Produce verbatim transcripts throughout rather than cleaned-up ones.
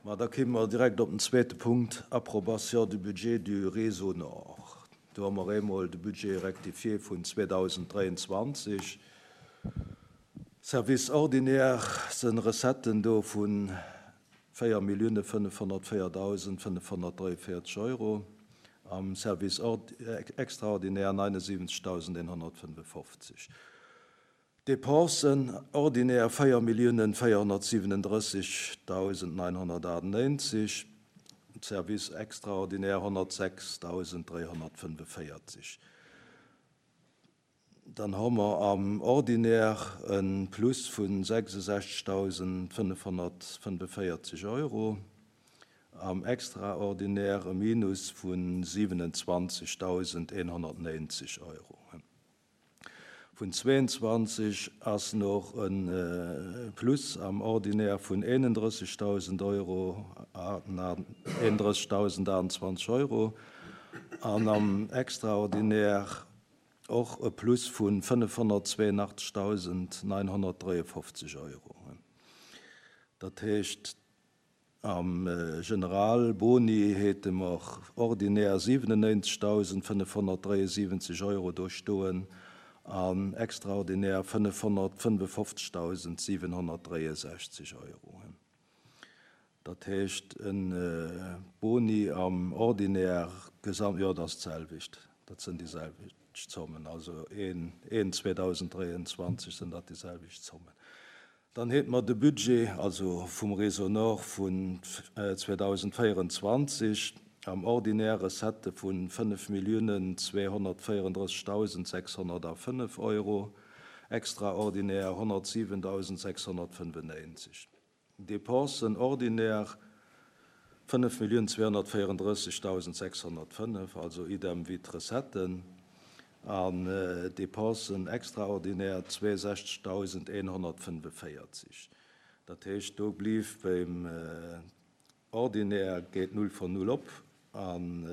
Ma da kéime mer direkt op den zweete Punkt, Approbation du budget du Réseau Nord. Do hu mer eemol de Budget rectifié vun zweedausenddräianzwanzeg. Service ordinaire si Recetten do vu véier Millioune fënnefhonnertvéierdausend fënnefhonnertdräianvéierzeg Euro, am Service extraordinaire neunundsiwwenzegdausendeenhonnertfënnefofzeg. Dépensen ordinaire véier Milliounen véierhonnertsiwwenendrëssegdausend neunhonnertachtundneunzeg, Service extraordinaire honnertsechsdausend dräihonnertfënneféierzeg. Dann hu mer am Ordinaire e Plus vu sechsundsechzegdausend fënnefhonnertfënneféierzeg Euro, am Extraordinaire e Minus vu siwenundzwanzegdausendeenhonnertneunzeg Euro. Vun zweeënzwanzeg ass nach e Plus am Ordinaire vun eenundrëssegdausend Euro, eenundrëssegdausendachtundzwanzeg Euro, an am Extraordinaire och e Plus vu fënnefhonnertzweiundachtzegdausendneunhonnertdräiundfofzeg Euro. Dat heescht, am General Boni hate mer ordinär siwenundneunzegdausendfënnefhonnertdräiundsiwwenzeg Euro do stoen an extraordinär fënnefhonnertfënnefofzegdausendsiewenhonnertdräiundsechzeg Euro. Dat heescht, e Boni am Ordinaire gesamt, jo, dat ass d'selwecht, dat sinn déi selwecht Zommen, also een, een zweedausenddräiandzwanzeg sinn dat déi selwecht Zommen. Dann hate mer de Budget, also vum Réseau Nord vun zweedausendvéierandzwanzeg, am Ordinaire Recettë vu fënnef Milliounen zweehonnertvéierendrëssegdausendsechshonnertafënnef Euro, extraordinaire honnertsiwendausendsechshonnertfënnefundneunzeg. Dépensen ordinaire fënnef Milliounen zweehonnertvéierendrëssegdausendsechshonnertfënnef, also idem wéi d'Recetten, an Dépensen extraordinaire zweesechzegdausendeenhonnertfënneféierzeg. Dat heescht, do blief beim Ordinaire geet null von null op an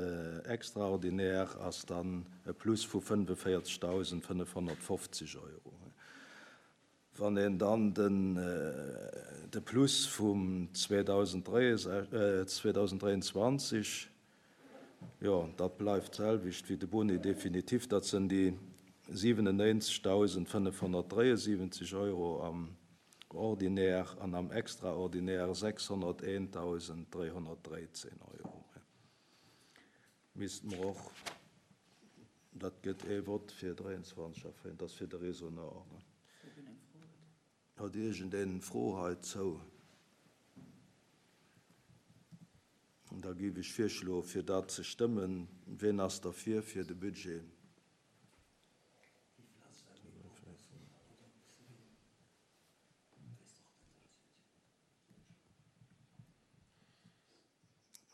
extraordinaire ass dann e Plus vu fënneféierzegdausendfënnefhonnertfofzeg Euro. Wann een dann den de Plus vum zweedausenddräiandzwanzeg, jo, dat bleift d'selwecht wéi de Boni définitif, dat sinn déi siwenundneunzegdausendfënnefhonnertdräiundsiwwenzeg Euro am Ordinaire an am Extraordinaire sechshonnerteentausenddräihonnertdräizehn Euro. Misste mer och, dat gëtt ee Vott fir dräiandzwanzeg erféieren, dat ass fir de Réseau Nord. Huet iergendeen Fro heizou? Da géif ech virschloen, fir dat ze stëmmen. Wien ass derfir, fir de Budget?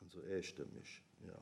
Also eestëmmeg, jo.